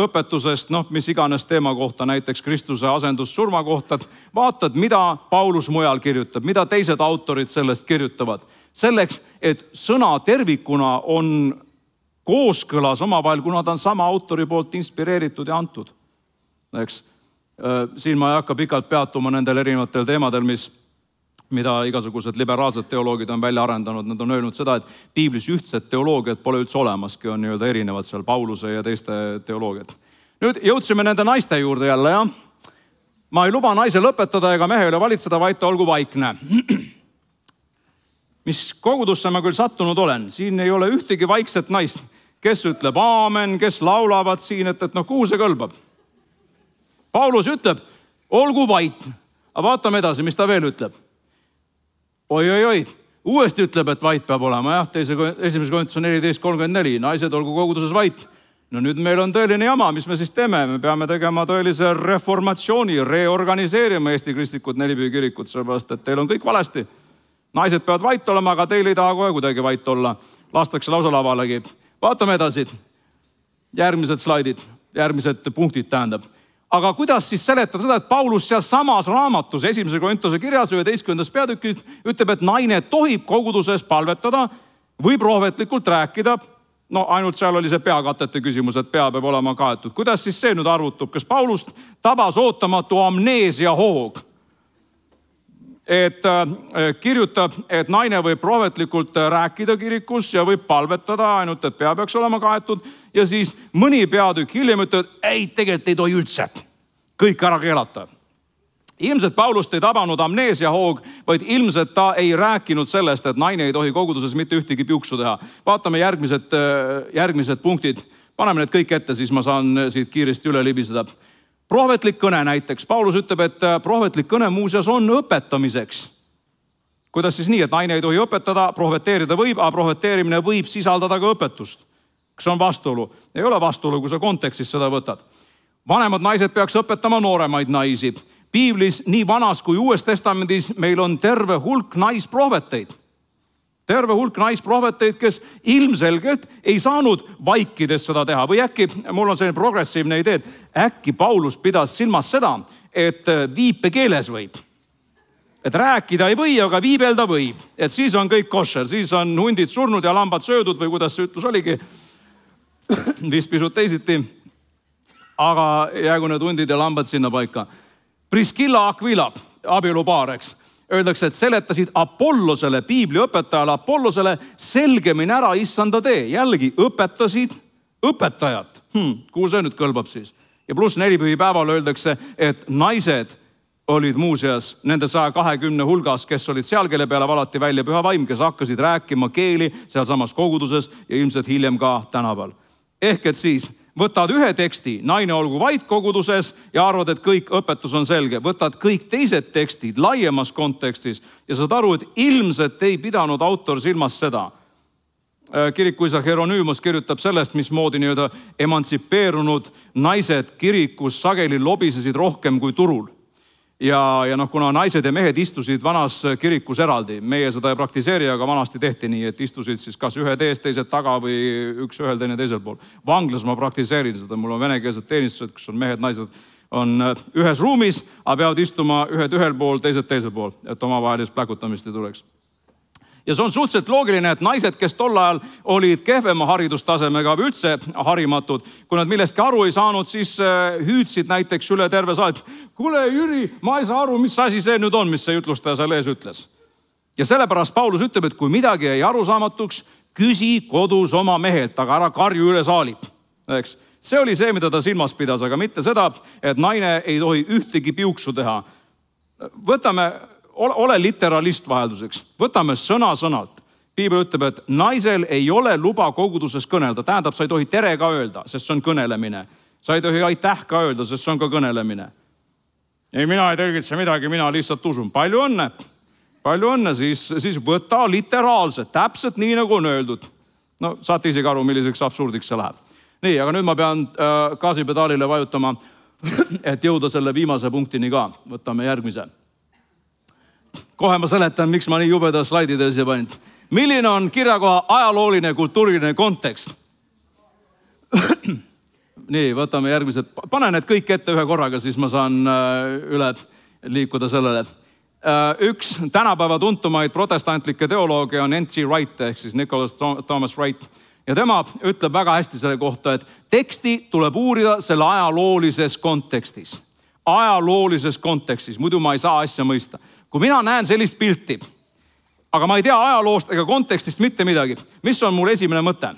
õpetusest, noh, mis iganes teema kohta, näiteks Kristuse asendussurma kohta, vaatad, mida Paulus mujal kirjutab, mida teised autorid sellest kirjutavad. Selleks, et sõna tervikuna on kooskõlas omavahel, kuna ta on sama autori poolt inspireeritud ja antud. Eks, äh, siin ma ei hakka pikalt peatuma nendel erinevatel teemadel, mis mida igasugused liberaalsed teoloogid on välja arendanud. Nad on öelnud seda, et piiblis ühtset teoloogiat pole üldse olemaski, on nii-öelda erinevad seal Pauluse ja teiste teoloogiad. Nüüd jõudsime nende naiste juurde jälle, jah. Ma ei luba naisel õpetada ega mehe üle valitseda, vaid ta olgu vaikne. Mis kogudusse ma küll sattunud olen, siin ei ole ühtegi vaikset naist, kes ütleb aamen, kes laulavad siin, et, et noh, kuhu see kõlbab. Paulus ütleb, olgu vait. Aga vaatame edasi, mis ta veel ütleb. Oi, oi, oi, uuesti ütleb, et vait peab olema, jah, teise, esimese Korintuse neliteist kolmkümmend neli, naised olgu koguduses vait. No nüüd meil on tõeline jama, mis me siis teeme? Me peame tegema tõelise reformatsiooni, reorganiseerima Eesti kristlikud Nelipühi kirikut, sellepärast, et teil on kõik valesti. Naised peavad vait olema, aga teil ei taha kohe kuidagi vait olla. Lastakse lausa lavalegi. Vaatame edasi. Järgmised slaidid, järgmised punktid tähendab. Aga kuidas siis seletada seda, et Paulus seal samas raamatus, esimese Korintuse kirjas üheteistkümnendas peatükist ütleb, et naine tohib koguduses palvetada või prohvetlikult rääkida. No ainult seal oli see peakatete küsimus, et pea peab olema kaetud. Kuidas siis see nüüd arvutub? Kas Paulust tabas ootamatu amneesia hoog? Et äh, kirjutab, et naine võib prohvetlikult rääkida kirikus ja võib palvetada, ainult et pea peaks olema kaetud. Ja siis mõni peatükk hiljem ütleb, ei, tegelikult ei tohi üldse. Kõik ära keelata. Ilmselt Paulust ei tabanud amneesia hoog, vaid ilmselt ta ei rääkinud sellest, et naine ei tohi koguduses mitte ühtegi piuksu teha. Vaatame järgmised, järgmised punktid. Paneme need kõik ette, siis ma saan siit kiiresti üle libiseda. Prohvetlik kõne näiteks. Paulus ütleb, et prohvetlik kõne muuseas on õpetamiseks. Kuidas siis nii, et naine ei tohi õpetada, prohveteerida võib, aga prohveteerimine võib sisaldada ka õpetust. Kas on vastuolu? Ei ole vastuolu, kui sa kontekstis seda võtad. Vanemad naised peaks õpetama nooremaid naisi. Piiblis nii vanas kui uues testamendis meil on terve hulk naisprohveteid. Terve hulk naisprohveteid, kes ilmselgelt ei saanud vaikides seda teha. Või äkki, mul on selline progressiivne idee, äkki Paulus pidas silmas seda, et viipekeeles võib. Et rääkida ei või, aga viibelda võib. Et siis on kõik košer, siis on hundid surnud ja lambad söödud või kuidas see ütlus oligi. Vist pisut teisiti. Aga jäägu need hundid ja lambad sinna paika. Priscilla Aquila, abielupaar, eks. Öeldakse, et seletasid Apollosele, piibliõpetajale Apollosele selgemini ära issanda tee. Jällegi õpetasid õpetajat. Hmm, kuhu see nüüd kõlbab siis? Ja pluss nelipühi päeval öeldakse, et naised olid muuseas nende saja kahekümne hulgas, kes olid seal, kelle peale valati välja püha vaim, kes hakkasid rääkima keeli seal samas koguduses ja ilmselt hiljem ka tänaval. Ehk et siis võtad ühe teksti, naine olgu vait koguduses ja arvad, et kõik õpetus on selge. Võtad kõik teised tekstid laiemas kontekstis ja saad aru, et ilmselt ei pidanud autor silmas seda. Kirikuisa Hieronymos kirjutab sellest, mismoodi nii-öelda emantsipeerunud naised kirikus sageli lobisesid rohkem kui turul. Ja, ja noh, kuna naised ja mehed istusid vanas kirikus eraldi, meie seda ei praktiseeri, aga vanasti tehti nii, et istusid siis kas ühe tees, teised taga või üks ühel, teine teisel pool. Vanglas ma praktiseerin seda, mul on venekeelsed teenistused, kus on mehed, naised on ühes ruumis, aga peavad istuma ühed ühel pool, teised teisel pool, et omavahelist pläkutamist ei tuleks. Ja see on suhteliselt loogiline, et naised, kes tol ajal olid kehvema haridustasemega või üldse harimatud, kui nad millestki aru ei saanud, siis hüüdsid näiteks üle terve saal. Kuule, Jüri, ma ei saa aru, mis asi see nüüd on, mis see jutlustaja seal ees ütles. Ja sellepärast Paulus ütleb, et kui midagi ei arusaamatuks, küsi kodus oma mehelt, aga ära karju üle saali. Eks? See oli see, mida ta silmas pidas, aga mitte seda, et naine ei tohi ühtegi piuksu teha. Võtame... Ole literalist vahelduseks. Võtame sõna sõnalt. Piibel ütleb, et naisel ei ole luba koguduses kõnelda. Tähendab, sa ei tohi tere ka öelda, sest see on kõnelemine. Sa ei tohi aitäh ka öelda, sest see on ka kõnelemine. Ei, mina ei tõlgitse midagi, mina lihtsalt usun. Palju õnne. Palju õnne, siis, siis võta literaalselt, täpselt nii nagu on öeldud. No saate isegi aru, milliseks absurdiks see läheb. Nii, aga nüüd ma pean äh, gaasipedaalile vajutama, et jõuda selle viimase punktini ka. Võtame järgmise. Kohe ma seletan, miks ma nii jubeda slaidide siia panin. Milline on kirjakoha ajalooline kultuuriline kontekst? Nii, võtame järgmised. Pane need kõik ette ühe korraga, siis ma saan üle liikuda sellele. Üks tänapäeva tuntumaid protestantlikke teoloogia on N T Wright ehk siis Nicholas Thomas Wright. Ja tema ütleb väga hästi selle kohta, et teksti tuleb uurida selle ajaloolises kontekstis. Ajaloolises kontekstis, muidu ma ei saa asja mõista. Kui mina näen sellist pilti, aga ma ei tea ajaloost ega kontekstist mitte midagi, mis on mul esimene mõte?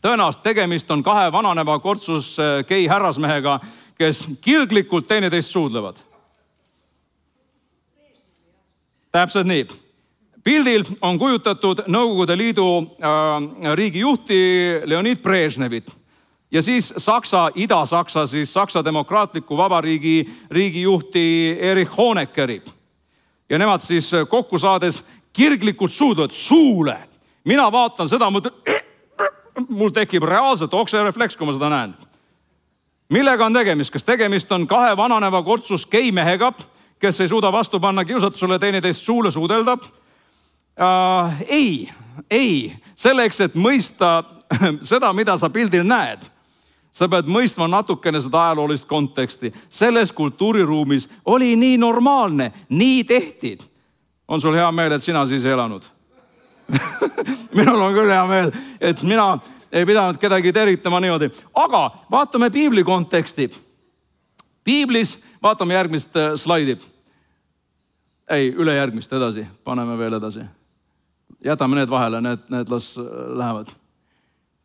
Tõenäoliselt tegemist on kahe vananeva kortsus gei härrasmehega, kes kirglikult teineteist suudlevad. Täpselt nii. Pildil on kujutatud Nõukogude Liidu äh, riigijuhti Leonid Brežnevit ja siis Saksa, Ida-Saksa, siis Saksa Demokraatliku Vabariigi riigijuhti Erich Honeckeri. Ja nemad siis kokku saades kirglikult suudlevad suule. Mina vaatan seda, mul tekib reaalselt okserefleks, kui ma seda näen. Millega on tegemist? Kas tegemist on kahe vananeva kortsus gei mehega, kes ei suuda vastu panna kiusatusele teineteist suule suudelda? Uh, ei, ei. Selleks, et mõista seda, mida sa pildil näed, sa pead mõistma natukene seda ajaloolist konteksti. Selles kultuuriruumis oli nii normaalne, nii tehti. On sul hea meel, et sina siis ei elanud? Minul on küll hea meel, et mina ei pidanud kedagi tervitama niimoodi. Aga vaatame piibli konteksti. Piiblis, vaatame järgmist slaidi. Ei, üle järgmist edasi. Paneme veel edasi. Jätame need vahele, need, need las lähevad.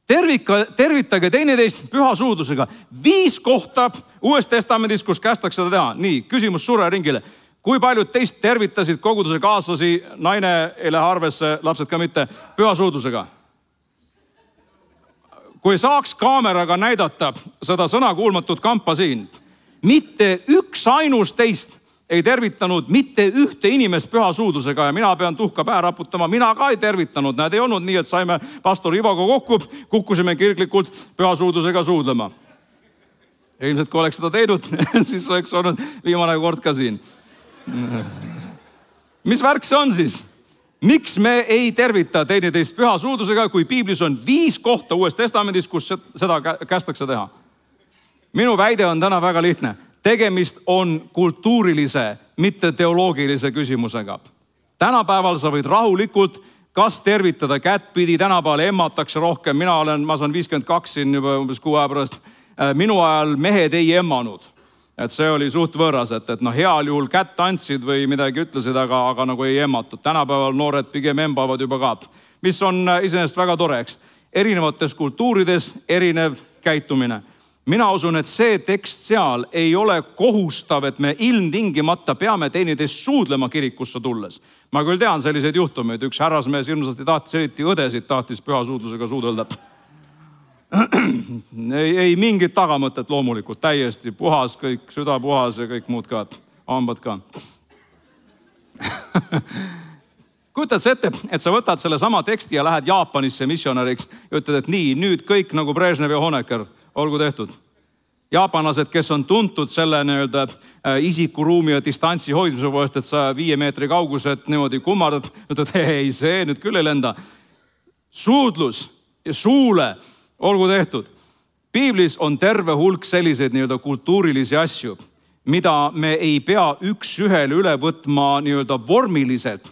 Tervika, tervitage teineteist püha suudlusega. Viis kohta Uues Testamendis, kus kästakse seda teha. Nii, küsimus suure ringile. Kui paljud teist tervitasid koguduse kaaslasi, naine ei lähe arvesse, lapsed ka mitte, püha suudlusega? Kui saaks kaameraga näidata seda sõnakuulmatut kampa siin, mitte üks ainus teist ei tervitanud mitte ühte inimest püha suudlusega ja mina pean tuhka pähe raputama. Mina ka ei tervitanud. Näed, ei olnud nii, et saime pastor Ivoga kokku, kukkusime kirglikult püha suudlusega suudlema. Ilmselt, kui oleks seda teinud, siis oleks olnud viimane kord ka siin. Mis värk see on siis? Miks me ei tervita teineteist püha suudlusega, kui piiblis on viis kohta Uues Testamendis, kus seda kästakse teha? Minu väide on täna väga lihtne. Tegemist on kultuurilise, mitte teoloogilise küsimusega. Tänapäeval sa võid rahulikult kas tervitada kättpidi, tänapäeval emmatakse rohkem. Mina olen, ma saan viiskümmend kaks siin juba umbes kuu aja pärast. Minu ajal mehed ei emmanud. Et see oli suht võõras, et, et no heal juhul kätt andsid või midagi ütlesid, aga, aga nagu ei emmatud. Tänapäeval noored pigem embavad juba ka. Mis on iseenesest väga toreks. Erinevates kultuurides erinev käitumine. Mina usun, et see tekst seal ei ole kohustav, et me ilmtingimata peame teineteist suudlema kirikusse tulles. Ma küll tean selliseid juhtumeid. Üks härrasmees ilmselt tahtis, eriti õdesid tahtis püha suudlusega suudelda. ei, ei mingit tagamõtet loomulikult, täiesti puhas, kõik süda puhas ja kõik muud ka, hambad ka. Kujutad sa ette, et sa võtad selle sama teksti ja lähed Jaapanisse missionäriks ja ütled, et nii, nüüd kõik nagu Brežnev ja Honecker, olgu tehtud. Jaapanlased, kes on tuntud selle nii-öelda isikuruumi ja distantsi hoidmise poolest, et sa viie meetri kaugused niimoodi kummardad, ütled, ei, see nüüd küll ei lenda. Suudlus ja suule, olgu tehtud. Piiblis on terve hulk selliseid nii-öelda kultuurilisi asju, mida me ei pea üks ühele üle võtma nii-öelda vormiliselt,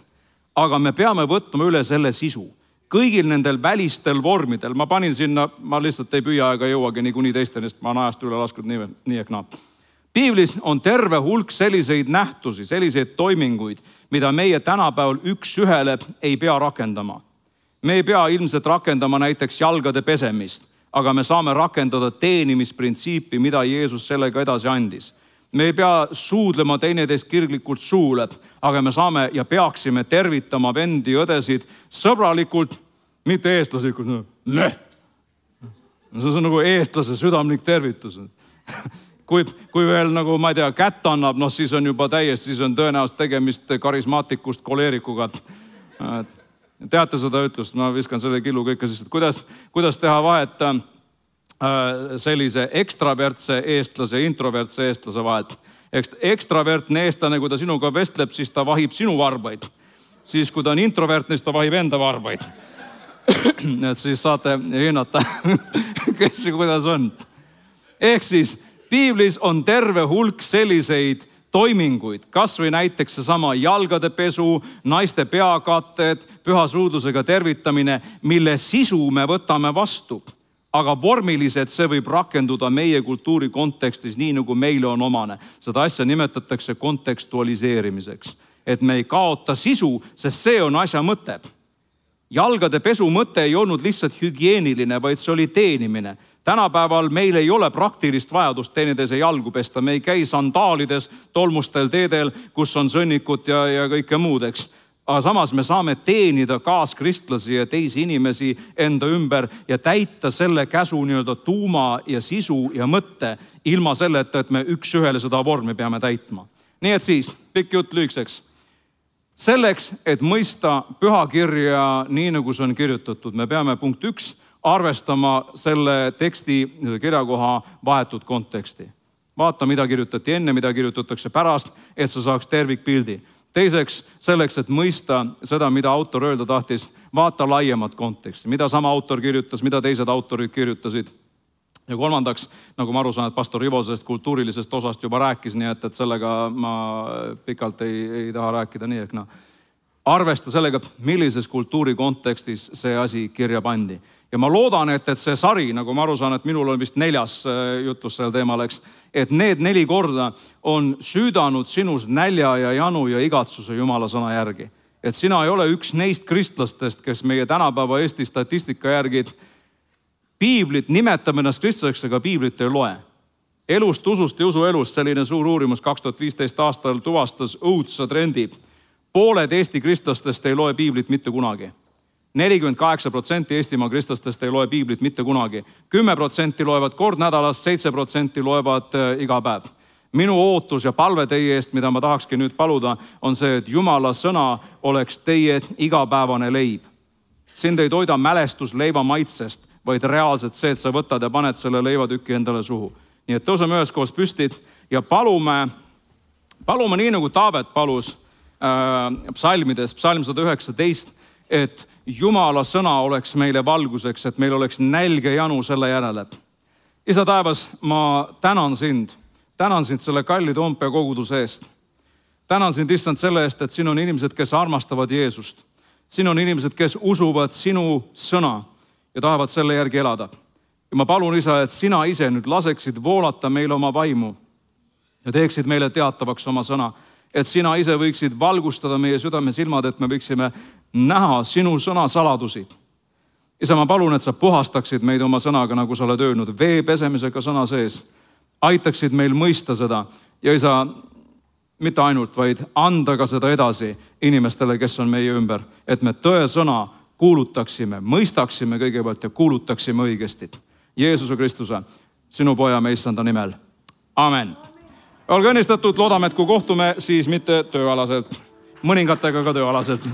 aga me peame võtma üle selle sisu. Kõigil nendel välistel vormidel, ma panin sinna, ma lihtsalt ei püüa ega jõuagi niikuinii teistest, ma olen ajast üle laskud nii, nii ehk naa. Piiblis on terve hulk selliseid nähtusi, selliseid toiminguid, mida meie tänapäeval üks ühele ei pea rakendama. Me ei pea ilmselt rakendama näiteks jalgade pesemist, aga me saame rakendada teenimisprintsiipi, mida Jeesus sellega edasi andis. Me ei pea suudlema teineteist kirglikult suule, aga me saame ja peaksime tervitama vendi õdesid sõbralikult, mitte eestlaslikult. No. See on nagu eestlase südamlik tervitus. Kui, kui veel nagu, ma ei tea, kätt annab, no siis on juba täiesti, siis on tõenäoliselt tegemist karismaatikust koleerikuga. teate seda ütlust, ma viskan selle killu kõike siis, et kuidas, kuidas teha vahet äh, sellise ekstravertse eestlase ja introvertse eestlase vahet. Eks ekstravertne eestlane, kui ta sinuga vestleb, siis ta vahib sinu varbaid. Siis kui ta on introvertne, siis ta vahib enda varbaid. Et siis saate hinnata, kes ja kuidas on. Ehk siis piiblis on terve hulk selliseid toiminguid, kas või näiteks seesama jalgade pesu, naiste peakatted, püha suudlusega tervitamine, mille sisu me võtame vastu. Aga vormiliselt see võib rakenduda meie kultuuri kontekstis nii, nagu meile on omane. Seda asja nimetatakse kontekstualiseerimiseks. Et me ei kaota sisu, sest see on asja mõte. Jalgade pesu mõte ei olnud lihtsalt hügieeniline, vaid see oli teenimine. Tänapäeval meil ei ole praktilist vajadust teenides jalgu pesta. Me ei käi sandaalides, tolmustel teedel, kus on sõnnikud ja, ja kõike muud, eks. Aga samas me saame teenida kaaskristlasi ja teisi inimesi enda ümber ja täita selle käsu nii-öelda tuuma ja sisu ja mõtte ilma selleta, et me üks ühele seda vormi peame täitma. Nii et siis, pikk jutt lühikeseks. Selleks, et mõista pühakirja nii, nagu see on kirjutatud, me peame punkt üks arvestama selle teksti kirjakoha vahetut konteksti. Vaata, mida kirjutati enne, mida kirjutatakse pärast, et sa saaks tervikpildi. Teiseks, selleks, et mõista seda, mida autor öelda tahtis, vaata laiemat konteksti, mida sama autor kirjutas, mida teised autorid kirjutasid. Ja kolmandaks, nagu ma aru saan, et pastor Ivo sellest kultuurilisest osast juba rääkis, nii et, et sellega ma pikalt ei, ei taha rääkida nii, ehk no. Arvesta sellega, millises kultuuri kontekstis see asi kirja pandi. Ja ma loodan, et, et see sari, nagu ma aru saan, et minul on vist neljas jutus sel teemal, eks, et need neli korda on süüdanud sinus nälja ja janu ja igatsuse Jumala sõna järgi. Et sina ei ole üks neist kristlastest, kes meie tänapäeva Eesti statistika järgi piiblit nimetab ennast kristlaseks, aga piiblit ei loe. Elust, usust ja usuelust selline suur uurimus kaks tuhat viisteist aastal tuvastas õudsa trendi. Pooled Eesti kristlastest ei loe piiblit mitte kunagi. nelikümmend kaheksa protsenti Eestimaa kristlastest ei loe piiblit mitte kunagi. kümme protsenti loevad kord nädalas, seitse protsenti loevad iga päev. Minu ootus ja palve teie eest, mida ma tahakski nüüd paluda, on see, et Jumala sõna oleks teie igapäevane leib. Sind ei toida mälestus leiva maitsest, vaid reaalselt see, et sa võtad ja paned selle leivatüki endale suhu. Nii et tõuseme üheskoos püstid ja palume, palume nii nagu Taavet palus äh, psalmides, psalm sada üheksateist, et Jumala sõna oleks meile valguseks, et meil oleks nälge janu selle järele. Isa taevas, ma tänan sind, tänan sind selle kalli Toompea koguduse eest. Tänan sind issand selle eest, et siin on inimesed, kes armastavad Jeesust. Siin on inimesed, kes usuvad sinu sõna ja tahavad selle järgi elada. Ja ma palun, isa, et sina ise nüüd laseksid voolata meile oma vaimu ja teeksid meile teatavaks oma sõna, et sina ise võiksid valgustada meie südame silmad, et me võiksime näha sinu sõna saladusi. Isa, ma palun, et sa puhastaksid meid oma sõnaga, nagu sa oled öelnud, vee pesemisega sõna sees. Aitaksid meil mõista seda ja isa, mitte ainult, vaid anda ka seda edasi inimestele, kes on meie ümber, et me tõe sõna kuulutaksime, mõistaksime kõigepealt ja kuulutaksime õigesti. Jeesuse Kristuse, sinu poja me issanda nimel. Amen. Olge õnnistatud, loodame, et kui kohtume, siis mitte tööalaselt, mõningatega ka tööalaselt.